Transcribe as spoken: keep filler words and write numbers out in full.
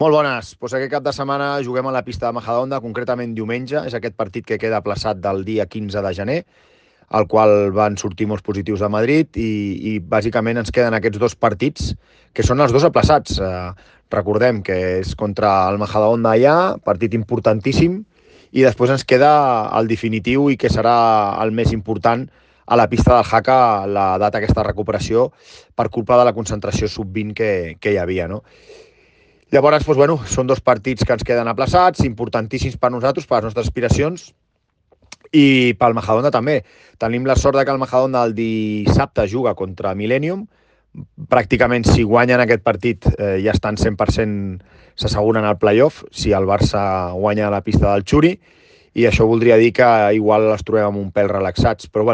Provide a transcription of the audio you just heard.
Molt bones. Pues aquest cap de setmana juguem a la pista de Majadahonda, concretament diumenge. És aquest partit que queda aplaçat del dia quinze de gener, al qual van sortir molts positius de Madrid i, i bàsicament ens queden aquests dos partits, que són els dos aplaçats. Eh, recordem que és contra el Majadahonda allà, partit importantíssim, i després ens queda el definitiu i que serà el més important a la pista del Jaca, la data aquesta recuperació per culpa de la concentració sub vint que, que hi havia, no? Llavors, doncs, bueno, són dos partits que ens queden aplaçats, importantíssims per nosaltres, per les nostres aspiracions, i pel Majadahonda també. Tenim la sort de que el Majadahonda el dissabte juga contra Millennium. Pràcticament, si guanyen aquest partit, eh, ja estan cent per cent s'asseguren al playoff, si el Barça guanya a la pista del Xuri, i això voldria dir que igual els trobem amb un pèl relaxats. Però, bueno,